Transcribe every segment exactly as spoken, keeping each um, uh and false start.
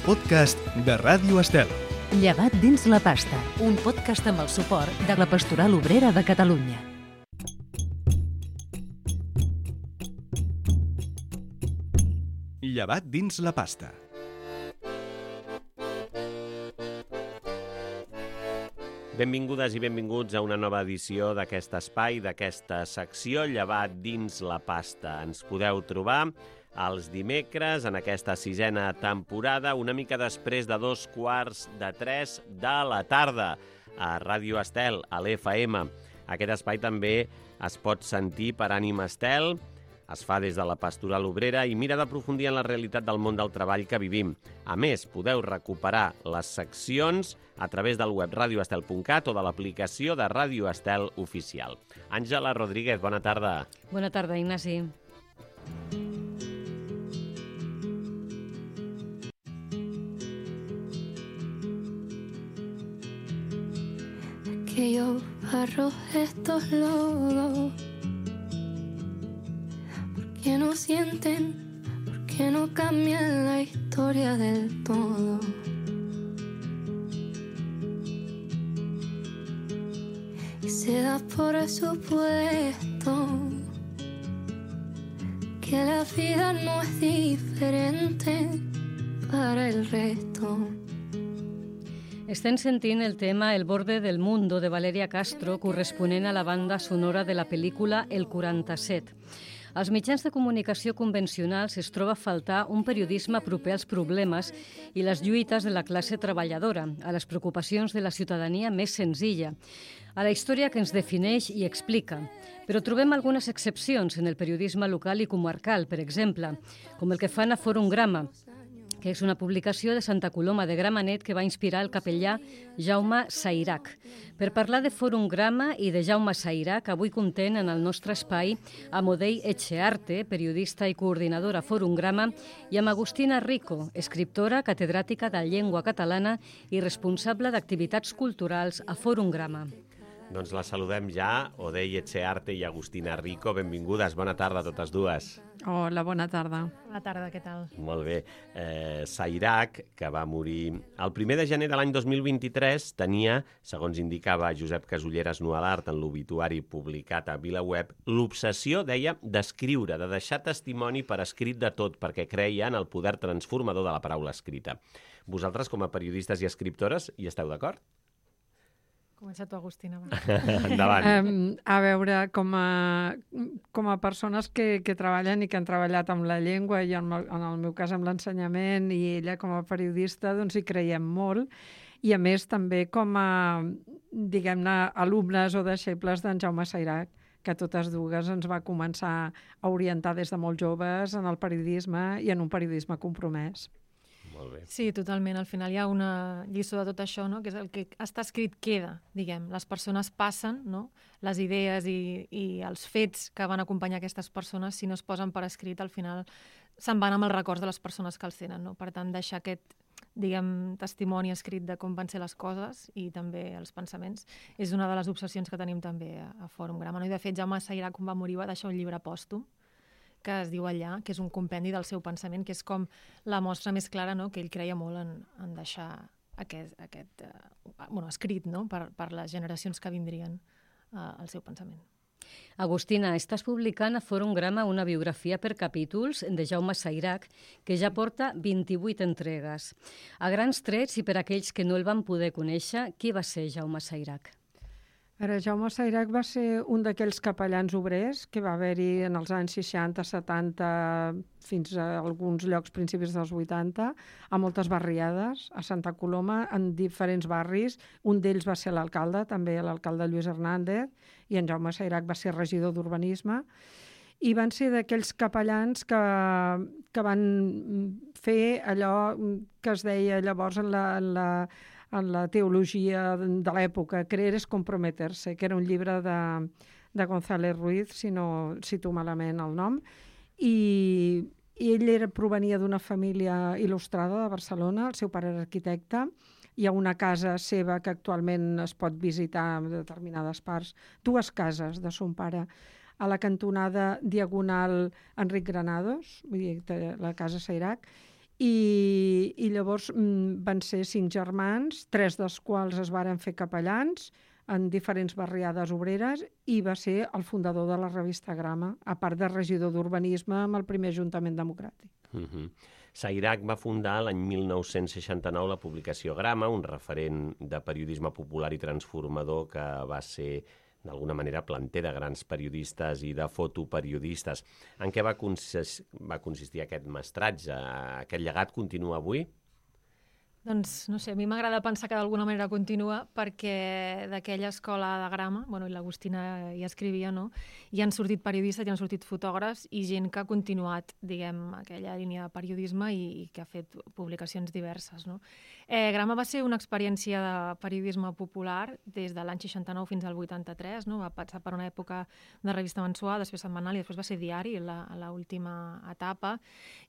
podcast de Ràdio Estel. Llevat dins la pasta, un podcast amb el suport de la Pastoral Obrera de Catalunya. Llevat dins la pasta. Benvingudes i benvinguts a una nova edició d'aquest espai, d'aquesta secció Llevat dins la pasta. Ens podeu trobar els dimecres en aquesta sisena temporada, una mica després de dos quarts de tres de la tarda, a Ràdio Estel, a l'F M. Aquest espai també es pot sentir per Ànima Estel, es fa des de la Pastoral Obrera i mira d'aprofundir en la realitat del món del treball que vivim. A més, podeu recuperar les seccions a través del web radio estel punt cat o de l'aplicació de Ràdio Estel Oficial. Àngela Rodríguez, bona tarda. Bona tarda, Ignasi. Aquellos barros, estos lodos, ¿por qué no sienten? ¿Por qué no cambian la historia del todo? Y se da por supuesto que la vida no es diferente para el resto. Estem sentint el tema El borde del mundo de Valeria Castro, corresponent a la banda sonora de la pel·lícula El quaranta-set. Als mitjans de comunicació convencionals es troba a faltar un periodisme proper als problemes i les lluites de la classe treballadora, a les preocupacions de la ciutadania més senzilla, a la història que ens defineix i explica. Però trobem algunes excepcions en el periodisme local i comarcal, per exemple, com el que fan a Fòrum Grama, que és una publicació de Santa Coloma de Gramenet que va inspirar el capellà Jaume Sairac. Per parlar de Fòrum Grama i de Jaume Sairac, avui contem en el nostre espai amb Odei Etxearte, periodista i coordinadora a Fòrum Grama, i amb Agustina Rico, escriptora, catedràtica de llengua catalana i responsable d'activitats culturals a Fòrum Grama. Doncs la saludem ja, Odei Etxearte i Agustina Rico. Benvingudes, bona tarda a totes dues. Hola, bona tarda. Bona tarda, què tal? Molt bé. Eh, Sairac, que va morir el primer de gener de l'any dos mil vint-i-tres, tenia, segons indicava Josep Casulleras Nualart en l'obituari publicat a VilaWeb, l'obsessió, deia, d'escriure, de deixar testimoni per escrit de tot, perquè creia en el poder transformador de la paraula escrita. Vosaltres, com a periodistes i escriptores, hi esteu d'acord? Comença tu, Agustina. Endavant. Um, a veure, com a, com a persones que, que treballen i que han treballat amb la llengua i en, en el meu cas amb l'ensenyament i ella com a periodista, doncs hi creiem molt. I a més també com a, diguem-ne, alumnes o deixebles d'en Jaume Sairac, que totes dues ens va començar a orientar des de molt joves en el periodisme i en un periodisme compromès. Molt bé. Sí, totalment. Al final hi ha una lliçó de tot això, no? Que és el que està escrit queda, diguem. Les persones passen, no? Les idees i, i els fets que van acompanyar aquestes persones, si no es posen per escrit, al final se'n van amb els records de les persones que els tenen, no? Per tant, deixar aquest, diguem, testimoni escrit de com van ser les coses i també els pensaments és una de les obsessions que tenim també a, a Fòrum Grama. No? I de fet, Jaume Sairac, quan va morir, va deixar un llibre pòstum que es diu allà, que és un compendi del seu pensament, que és com la mostra més clara, no?, que ell creia molt en, en deixar aquest, aquest uh, bueno, escrit, no?, per, per les generacions que vindrien uh, al seu pensament. Agustina, estàs publicant a Fòrum Grama una biografia per capítols de Jaume Sairac que ja porta vint-i-vuit entregues. A grans trets, i per aquells que no el van poder conèixer, qui va ser Jaume Sairac? Ara, Jaume Sairac va ser un d'aquells capellans obrers que va haver-hi en els anys seixanta, setanta, fins a alguns llocs principis dels vuitanta, a moltes barriades, a Santa Coloma, en diferents barris. Un d'ells va ser l'alcalde, també l'alcalde Lluís Hernández, i en Jaume Sairac va ser regidor d'urbanisme. I van ser d'aquells capellans que, que van fer allò que es deia llavors en la... En la en la teologia de l'època, creer és comprometer-se, que era un llibre de, de González Ruiz, si no cito malament el nom, i, i ell era, provenia d'una família il·lustrada de Barcelona, el seu pare era arquitecte, hi ha una casa seva que actualment es pot visitar en determinades parts, dues cases de son pare, a la cantonada Diagonal Enric Granados, vull dir, la casa Sairac, i, i llavors mm, van ser cinc germans, tres dels quals es varen fer capellans en diferents barriades obreres, i va ser el fundador de la revista Grama, a part de regidor d'urbanisme amb el primer Ajuntament Democràtic. Uh-huh. Sayrac va fundar l'any mil nou-cents seixanta-nou la publicació Grama, un referent de periodisme popular i transformador que va ser d'alguna manera planter de grans periodistes i de fotoperiodistes. En què va, consist va consistir aquest mestratge? Aquest llegat continua avui? Doncs, no sé, a mi m'agrada pensar que d'alguna manera continua, perquè d'aquella escola de Grama, bueno, i l'Agustina hi escrivia, no?, hi han sortit periodistes, hi han sortit fotògrafs i gent que ha continuat, diguem, aquella línia de periodisme i, i que ha fet publicacions diverses, no? Eh, Grama va ser una experiència de periodisme popular des de l'any seixanta-nou fins al vuitanta-tres, no? Va passar per una època de revista mensual, després setmanal i després va ser diari, a l'última etapa,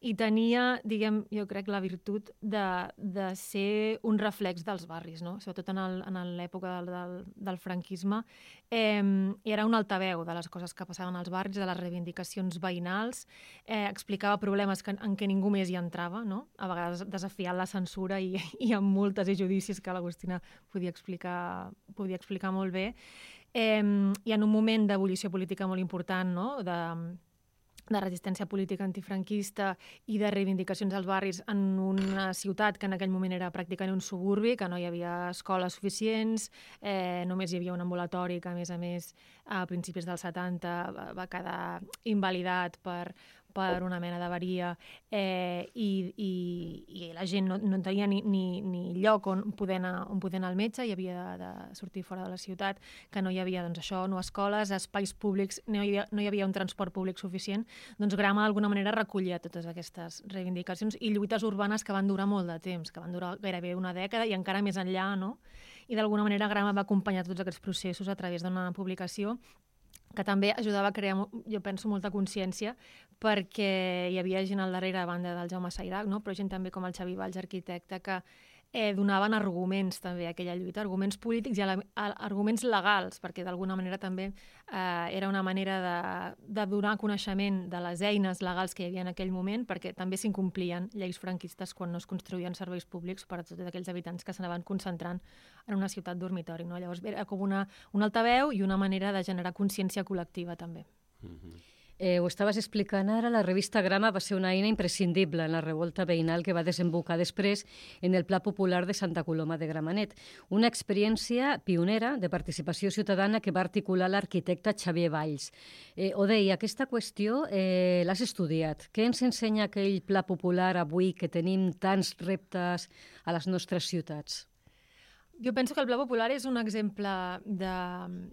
i tenia, diguem, jo crec, la virtut de, de ser un reflex dels barris, no? Sobretot en l'època del, del, del franquisme. Eh, era un altaveu de les coses que passaven als barris, de les reivindicacions veïnals, eh, explicava problemes que, en què ningú més hi entrava, no? A vegades desafiant la censura i, i amb multes i judicis que l'Agustina podia explicar, podia explicar molt bé. Eh, I en un moment d'ebullició política molt important, no?, de de resistència política antifranquista i de reivindicacions als barris en una ciutat que en aquell moment era pràcticament un suburbi, que no hi havia escoles suficients, eh, només hi havia un ambulatori que, a més a més, a principis dels setanta va, va quedar invalidat per, per una mena d'avaria, eh, i, i, i la gent no, no tenia ni, ni, ni lloc on poder, anar, on poder anar al metge, i havia de, de sortir fora de la ciutat, que no hi havia, doncs, això, no escoles, espais públics, no hi havia, no hi havia un transport públic suficient. Doncs Grama d'alguna manera recollia totes aquestes reivindicacions i lluites urbanes que van durar molt de temps, que van durar gairebé una dècada i encara més enllà, no? I d'alguna manera Grama va acompanyar tots aquests processos a través d'una publicació que també ajudava a crear, jo penso, molta consciència, perquè hi havia gent al darrere, a banda del Jaume Sayrac, no?, però gent també com el Xavi Valls, arquitecte, que eh, donaven arguments també a aquella lluita, arguments polítics i arguments legals, perquè d'alguna manera també eh, era una manera de, de donar coneixement de les eines legals que hi havia en aquell moment, perquè també s'incomplien lleis franquistes quan no es construïen serveis públics per a tots aquells habitants que s'anaven concentrant en una ciutat dormitori, no? Llavors era com una, un altaveu i una manera de generar consciència col·lectiva també. Mm-hmm. Eh, ho estaves explicant ara, la revista Grama va ser una eina imprescindible en la revolta veïnal que va desembocar després en el Pla Popular de Santa Coloma de Gramenet. Una experiència pionera de participació ciutadana que va articular l'arquitecte Xavier Valls. Eh, Odei, aquesta qüestió eh, l'has estudiat. Què ens ensenya aquell Pla Popular avui que tenim tants reptes a les nostres ciutats? Jo penso que el Pla Popular és un exemple de,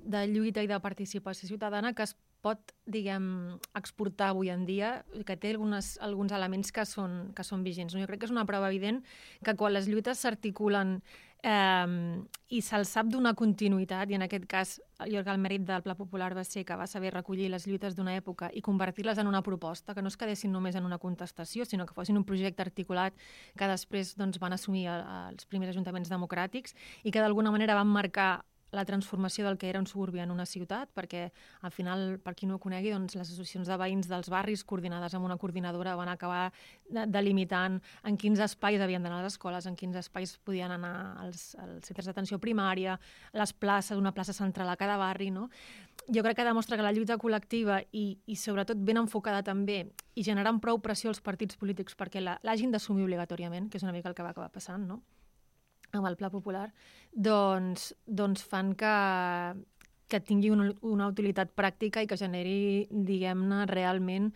de lluita i de participació ciutadana que es pot, diguem, exportar avui en dia, que té algunes, alguns elements que són, que són vigents. Jo crec que és una prova evident que quan les lluites s'articulen eh, i se'ls sap donar continuïtat, i en aquest cas jo crec que el mèrit del Pla Popular va ser que va saber recollir les lluites d'una època i convertir-les en una proposta, que no es quedessin només en una contestació, sinó que fossin un projecte articulat que després, doncs, van assumir els primers ajuntaments democràtics i que d'alguna manera van marcar la transformació del que era un suburbi en una ciutat, perquè al final, per qui no ho conegui, doncs, les associacions de veïns dels barris coordinades amb una coordinadora van acabar delimitant en quins espais havien d'anar les escoles, en quins espais podien anar als, als centres d'atenció primària, les places, una plaça central a cada barri, no? Jo crec que demostra que la lluita col·lectiva i, i sobretot ben enfocada també i generant prou pressió als partits polítics perquè l'hagin d'assumir obligatòriament, que és una mica el que va acabar passant, no?, amb el Pla Popular, doncs, doncs fan que, que tingui una, una utilitat pràctica i que generi, diguem-ne, realment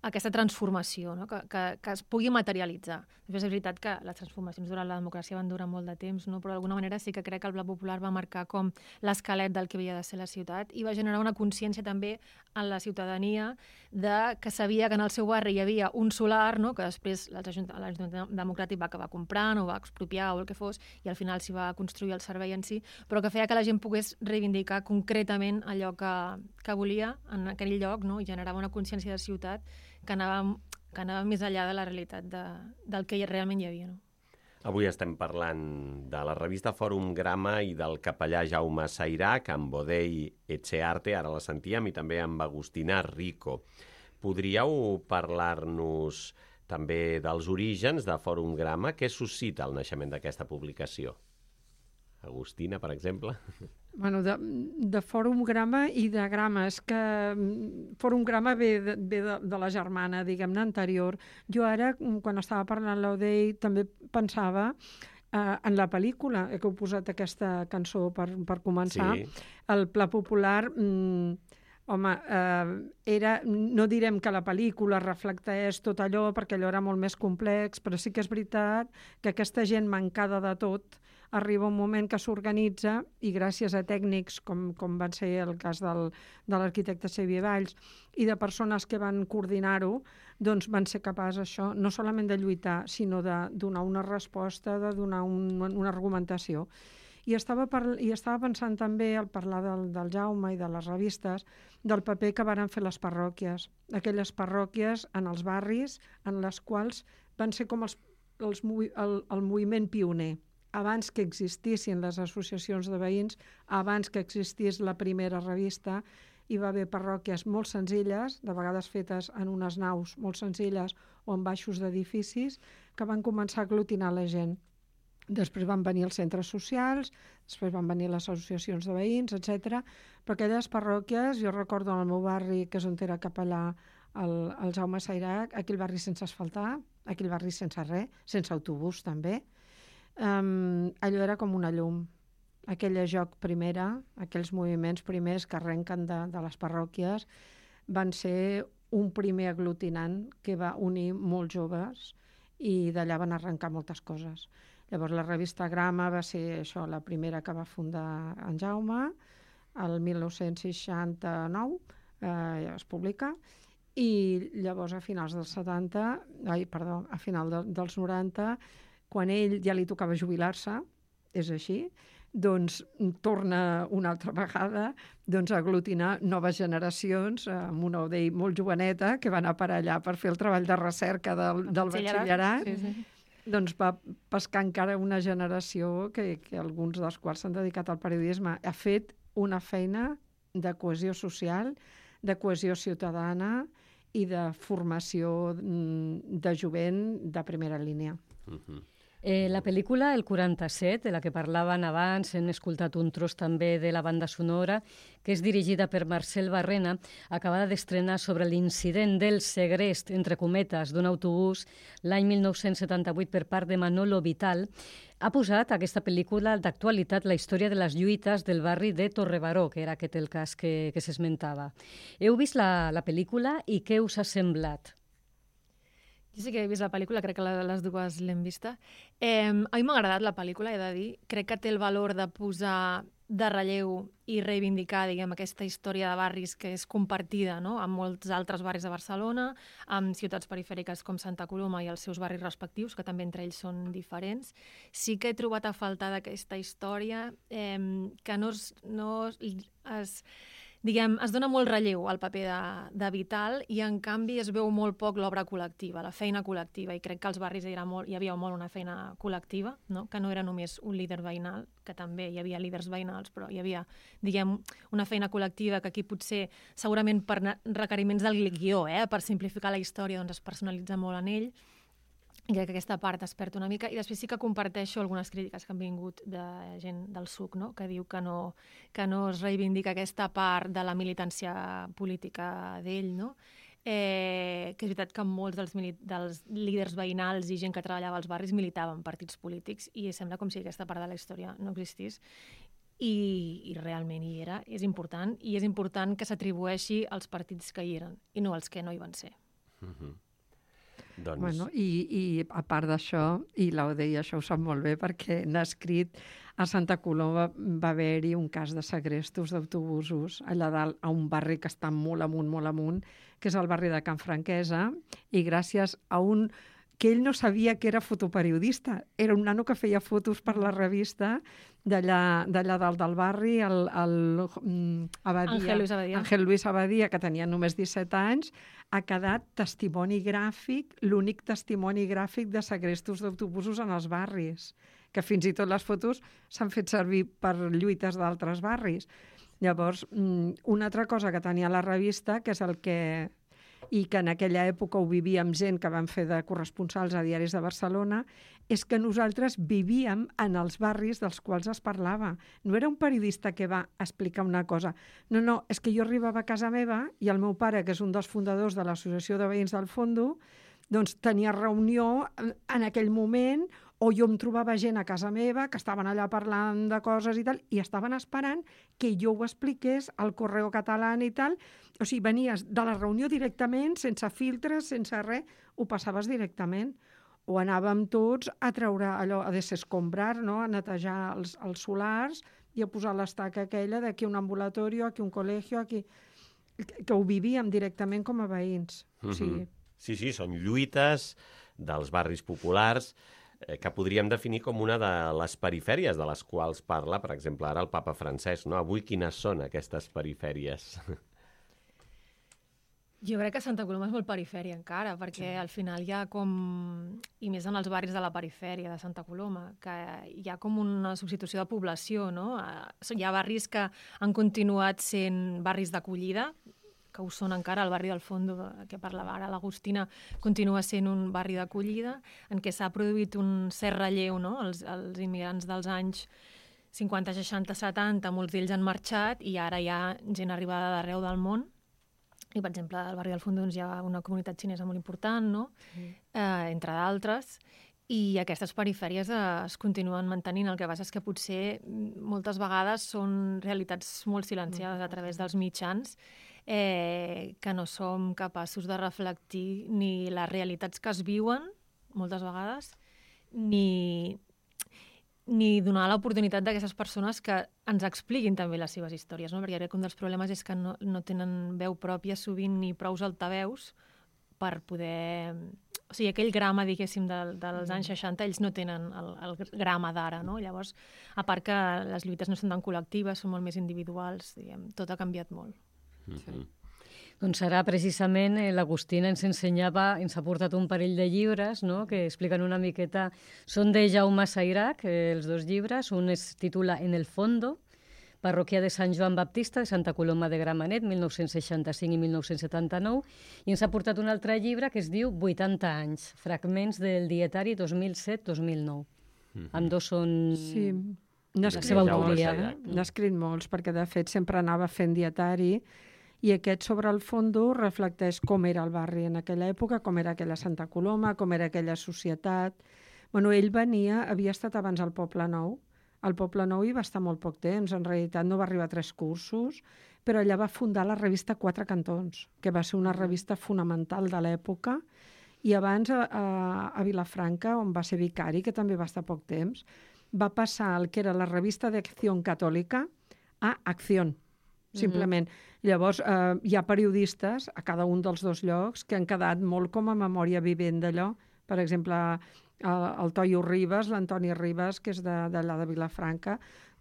aquesta transformació, no? que, que, que es pugui materialitzar. Després és veritat que les transformacions durant la democràcia van durar molt de temps, no? Però d'alguna manera sí que crec que el Pla Popular va marcar com l'esquelet del que havia de ser la ciutat i va generar una consciència també en la ciutadania de que sabia que en el seu barri hi havia un solar, no? Que després l'Ajuntament Democràtic va acabar comprant o va expropiar o el que fos i al final s'hi va construir el servei en si, però que feia que la gent pogués reivindicar concretament allò que, que volia en aquell lloc, no? I generava una consciència de ciutat que anava, que anava més enllà de la realitat de, del que realment hi havia, no? Avui estem parlant de la revista Fòrum Grama i del capellà Jaume Sayrac, amb Odei Etxearte, ara la sentíem, i també amb Agustina Rico. Podríeu parlar-nos també dels orígens de Fòrum Grama. Què suscita el naixement d'aquesta publicació? Agustina, per exemple? Bueno, de, de Fòrum Grama i de Grama. És que Fòrum Grama ve de, ve de, de la germana, diguem-ne, anterior. Jo ara, quan estava parlant l'Odei, també pensava eh, en la pel·lícula, que heu posat aquesta cançó per, per començar. Sí. El Pla Popular... Mm, home, eh, era, no direm que la pel·lícula reflecteix tot allò, perquè allò era molt més complex, però sí que és veritat que aquesta gent mancada de tot arriba un moment que s'organitza i gràcies a tècnics, com, com van ser el cas del, de l'arquitecte Xavier Valls, i de persones que van coordinar-ho, doncs van ser capaços això, no solament de lluitar, sinó de donar una resposta, de donar un, una argumentació. I estava, par... I estava pensant també, al parlar del, del Jaume i de les revistes, del paper que varen fer les parròquies. Aquelles parròquies en els barris en les quals van ser com els, els, el, el moviment pioner. Abans que existissin les associacions de veïns, abans que existís la primera revista, hi va haver parròquies molt senzilles, de vegades fetes en unes naus molt senzilles o en baixos d'edificis, que van començar a aglutinar la gent. Després van venir els centres socials, després van venir les associacions de veïns, etcètera. Però aquelles parròquies, jo recordo en el meu barri, que és on era capellà el, el Jaume Sairac, aquell barri sense asfaltar, aquell barri sense res, sense autobús també, um, allò era com una llum. Aquella joc primera, aquells moviments primers que arrenquen de, de les parròquies, van ser un primer aglutinant que va unir molts joves i d'allà van arrencar moltes coses. Llavors la revista Grama va ser això, la primera que va fundar en Jaume, el mil nou-cents seixanta-nou eh, es publica, i llavors a finals dels setanta, ai, perdó, a final de, dels noranta, quan ell ja li tocava jubilar-se, és així, doncs torna una altra vegada doncs, a aglutinar noves generacions amb una Odei molt joveneta que va anar per allà per fer el treball de recerca del, del batxillerat. Sí, sí. Doncs va pescar encara una generació que, que alguns dels quals s'han dedicat al periodisme. Ha fet una feina de cohesió social, de cohesió ciutadana i de formació de jovent de primera línia. Uh-huh. Eh, la pel·lícula El quaranta-set, de la que parlaven abans, hem escoltat un tros també de la banda sonora, que és dirigida per Marcel Barrena, acabada d'estrenar sobre l'incident del segrest, entre cometes, d'un autobús l'any mil nou-cents setanta-vuit per part de Manolo Vital, ha posat aquesta pel·lícula d'actualitat la història de les lluites del barri de Torrebaró, que era aquest el cas que, que s'esmentava. Heu vist la, la pel·lícula i què us ha semblat? Jo sí que he vist la pel·lícula, crec que les dues l'hem vista. Eh, a mi m'ha agradat la pel·lícula, he de dir. Crec que té el valor de posar de relleu i reivindicar, diguem, aquesta història de barris que és compartida, no?, amb molts altres barris de Barcelona, amb ciutats perifèriques com Santa Coloma i els seus barris respectius, que també entre ells són diferents. Sí que he trobat a faltar d'aquesta història eh, que no es... No es diguem, es dona molt relleu al paper de, de Vital i, en canvi, es veu molt poc l'obra col·lectiva, la feina col·lectiva, i crec que als barris era molt, hi havia molt una feina col·lectiva, no?, que no era només un líder veïnal, que també hi havia líders veïnals, però hi havia, diguem, una feina col·lectiva que aquí potser, segurament per requeriments del guió, eh, per simplificar la història, doncs es personalitza molt en ell, i crec que aquesta part es perd una mica. I després sí que comparteixo algunes crítiques que han vingut de gent del S U C, no?, que diu que no, que no es reivindica aquesta part de la militància política d'ell, no? Eh, que és veritat que molts dels, dels líders veïnals i gent que treballava als barris militaven partits polítics i sembla com si aquesta part de la història no existís. I, i realment hi era, és important, i és important que s'atribueixi als partits que hi eren i no als que no hi van ser. Uh-huh. Doncs... Bueno, i, i a part d'això, i l'Odei això ho sap molt bé perquè n'ha escrit, a Santa Coloma va haver-hi un cas de segrestos d'autobusos allà dalt, a un barri que està molt amunt, molt amunt, que és el barri de Can Franquesa, i gràcies a un que ell no sabia que era fotoperiodista. Era un nano que feia fotos per la revista d'allà dalt del barri, el, el Abadia, Ángel Luis Abadia. Ángel Luis Abadia, que tenia només disset anys, ha quedat testimoni gràfic, l'únic testimoni gràfic de segrestos d'autobusos en els barris, que fins i tot les fotos s'han fet servir per lluites d'altres barris. Llavors, una altra cosa que tenia la revista, que és el que i que en aquella època ho vivíem gent que van fer de corresponsals a diaris de Barcelona, és que nosaltres vivíem en els barris dels quals es parlava. No era un periodista que va explicar una cosa. No, no, és que jo arribava a casa meva i el meu pare, que és un dels fundadors de l'Associació de Veïns del Fondo, doncs tenia reunió en aquell moment, o jo em trobava gent a casa meva que estaven allà parlant de coses i tal, i estaven esperant que jo ho expliqués al Correo Català i tal. O sigui, venies de la reunió directament, sense filtres, sense res, ho passaves directament. O anàvem tots a treure allò, a desescombrar, no? A netejar els, els solars i a posar l'estaca aquella d'aquí un ambulatori, aquí un col·legi, aquí... que ho vivíem directament com a veïns. Mm-hmm. O sigui... Sí, sí, són lluites dels barris populars eh, que podríem definir com una de les perifèries de les quals parla, per exemple, ara el papa Francesc, no? Avui quines són aquestes perifèries? Jo crec que Santa Coloma és molt perifèria encara, perquè sí. Al final hi ha com, i més en els barris de la perifèria de Santa Coloma, que hi ha com una substitució de població, no? Hi ha barris que han continuat sent barris d'acollida, que ho són encara, el barri del Fondo, que parlava ara l'Agustina, continua sent un barri d'acollida, en què s'ha produït un cert relleu, no? Els, els immigrants dels anys cinquanta, seixanta, setanta, molts d'ells han marxat i ara hi ha gent arribada d'arreu del món. I, per exemple, al barri del Fondo doncs, hi ha una comunitat xinesa molt important, no? Mm. Eh, entre d'altres. I aquestes perifèries eh, es continuen mantenint. El que passa és que potser moltes vegades són realitats molt silenciades a través dels mitjans, eh, que no som capaços de reflectir ni les realitats que es viuen, moltes vegades, ni, ni donar l'oportunitat d'aquestes persones que ens expliquin també les seves històries, no? Perquè crec que un dels problemes és que no, no tenen veu pròpia sovint ni prous altaveus per poder... O sigui, aquell grama, diguéssim, de, dels anys seixanta, ells no tenen el, el grama d'ara, no? Llavors, a part que les lluites no són tan col·lectives, són molt més individuals, diguem, tot ha canviat molt. Mm-hmm. Doncs ara, precisament, eh, l'Agustina ens ensenyava, ens ha portat un parell de llibres, no?, que expliquen una miqueta... Són de Jaume Sayrac, eh, els dos llibres. Un es titula En el fondo, parròquia de Sant Joan Baptista de Santa Coloma de Gramenet, mil nou-cents seixanta-cinc i mil nou-cents setanta-nou, i ens ha portat un altre llibre que es diu vuitanta anys, fragments del dietari dos mil set dos mil nou. Mm-hmm. Ambdós són... Sí, n'ha escrit, n'ha escrit molts, perquè de fet sempre anava fent dietari, i aquest sobre el fondo reflecteix com era el barri en aquella època, com era aquella Santa Coloma, com era aquella societat. Bueno, ell venia, havia estat abans al Poble Nou. Al Poble Nou hi va estar molt poc temps, en realitat no va arribar a tres cursos, però allà va fundar la revista Quatre Cantons, que va ser una revista fonamental de l'època, i abans a, a, a Vilafranca, on va ser vicari, que també va estar poc temps, va passar el que era la revista d'Acció Catòlica a Acció, simplement. Mm-hmm. Llavors, eh, hi ha periodistes a cada un dels dos llocs que han quedat molt com a memòria vivent d'allò. Per exemple, el, el Toio Ribas, l'Antoni Ribas, que és d'allà de, de Vilafranca,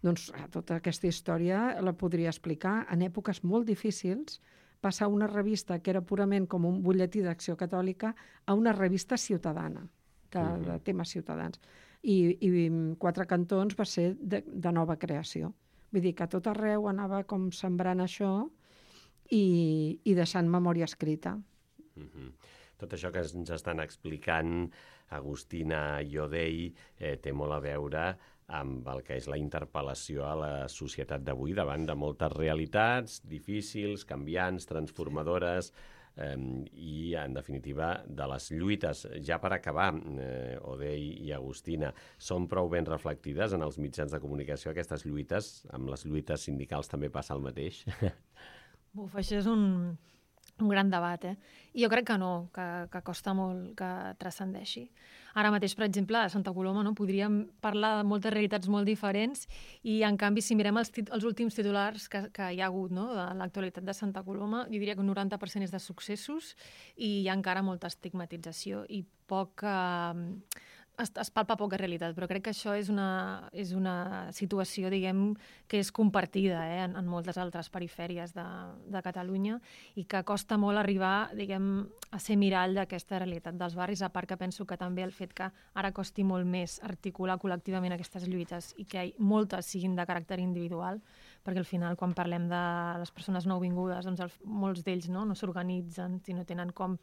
doncs tota aquesta història la podria explicar. En èpoques molt difícils, passar una revista que era purament com un butlletí d'Acció Catòlica a una revista ciutadana, de, mm-hmm. de temes ciutadans. I, i Quatre Cantons va ser de, de nova creació. Vull dir que a tot arreu anava com sembrant això i, i deixant memòria escrita. Mm-hmm. Tot això que ens estan explicant Agustina i Odei eh, té molt a veure amb el que és la interpel·lació a la societat d'avui davant de moltes realitats difícils, canviants, transformadores, eh, i, en definitiva, de les lluites. Ja per acabar, eh, Odei i Agustina, són prou ben reflectides en els mitjans de comunicació aquestes lluites? Amb les lluites sindicals també passa el mateix? Buf, això és un... un gran debat, eh? I jo crec que no, que, que costa molt que transcendeixi. Ara mateix, per exemple, a Santa Coloma no, podríem parlar de moltes realitats molt diferents i, en canvi, si mirem els, tit els últims titulars que, que hi ha hagut no, de l'actualitat de Santa Coloma, jo diria que un noranta per cent és de successos i hi ha encara molta estigmatització i poc... Eh, Es, es palpa poca realitat, però crec que això és una, és una situació, diguem, que és compartida eh, en, en moltes altres perifèries de, de Catalunya i que costa molt arribar, diguem, a ser mirall d'aquesta realitat dels barris, a part que penso que també el fet que ara costi molt més articular col·lectivament aquestes lluites i que moltes siguin de caràcter individual, perquè al final quan parlem de les persones nouvingudes, doncs el, molts d'ells no, no s'organitzen, si no tenen com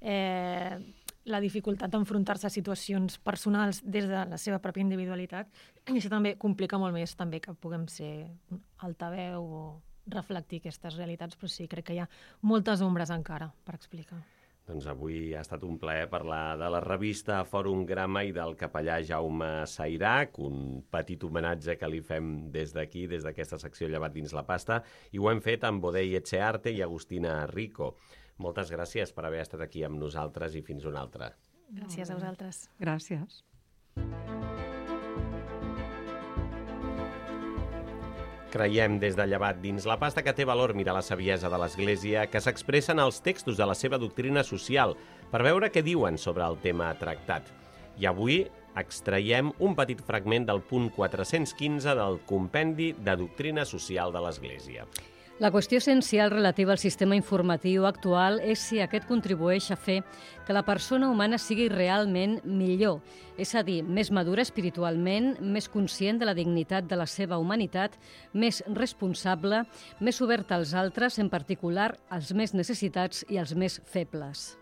eh, la dificultat d'enfrontar-se a situacions personals des de la seva pròpia individualitat, i això també complica molt més també que puguem ser altaveu o reflectir aquestes realitats, però sí, crec que hi ha moltes ombres encara per explicar. Doncs avui ha estat un plaer parlar de la revista Fòrum Grama i del capellà Jaume Sairac, un petit homenatge que li fem des d'aquí, des d'aquesta secció Llevat dins la pasta, i ho hem fet amb Bodei Etxearte i Agustina Rico. Moltes gràcies per haver estat aquí amb nosaltres i fins una altra. Gràcies a vosaltres. Gràcies. Creiem des de Llevat dins la pasta que té valor mirar la saviesa de l'Església que s'expressen als textos de la seva doctrina social per veure què diuen sobre el tema tractat. I avui extraiem un petit fragment del punt quatre-cents quinze del Compendi de Doctrina Social de l'Església. La qüestió essencial relativa al sistema informatiu actual és si aquest contribueix a fer que la persona humana sigui realment millor, és a dir, més madura espiritualment, més conscient de la dignitat de la seva humanitat, més responsable, més oberta als altres, en particular als més necessitats i als més febles.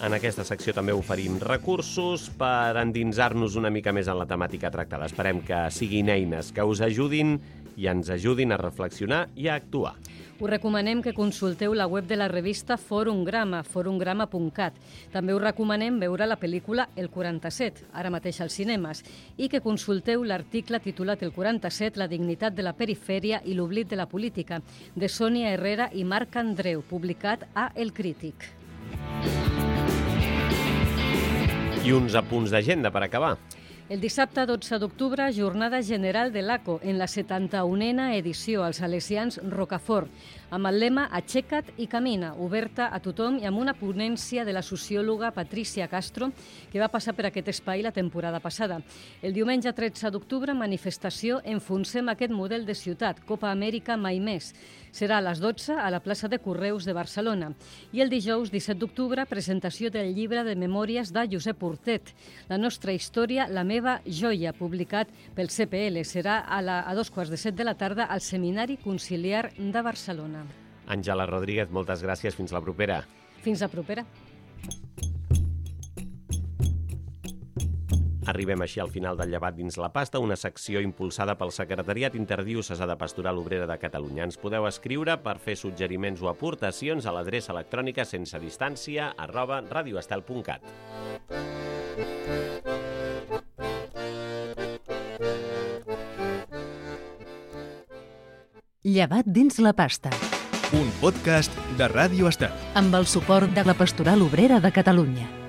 En aquesta secció també oferim recursos per endinsar-nos una mica més en la temàtica tractada. Esperem que siguin eines que us ajudin i ens ajudin a reflexionar i a actuar. Us recomanem que consulteu la web de la revista Fòrum Grama, fòrum grama punt cat. També us recomanem veure la pel·lícula El quaranta-set, ara mateix als cinemes, i que consulteu l'article titulat El quaranta-set, la dignitat de la perifèria i l'oblit de la política, de Sònia Herrera i Marc Andreu, publicat a El Crític. I uns apunts d'agenda per acabar. El dissabte dotze d'octubre, jornada general de l'A C O en la setanta-unena edició als Salesians Rocafort, amb el lema Aixeca't i camina, oberta a tothom i amb una ponència de la sociòloga Patricia Castro, que va passar per aquest espai la temporada passada. El diumenge tretze d'octubre, manifestació Enfonsem aquest model de ciutat, Copa Amèrica mai més. Serà a les dotze a la plaça de Correus de Barcelona. I el dijous disset d'octubre, presentació del llibre de memòries de Josep Hortet, La nostra història, la meva joia, publicat pel C P L. Serà a, la, a dos quarts de set de la tarda al Seminari Conciliar de Barcelona. Àngela Rodríguez, moltes gràcies. Fins la propera. Fins la propera. Arribem així al final del Llevat dins la pasta, una secció impulsada pel Secretariat Interdiocesà de Pastoral Obrera de Catalunya. Ens podeu escriure per fer suggeriments o aportacions a l'adreça electrònica sense distància arroba radioestel punt cat. Llevat dins la pasta. Un podcast de Ràdio Estel. Amb el suport de la Pastoral Obrera de Catalunya.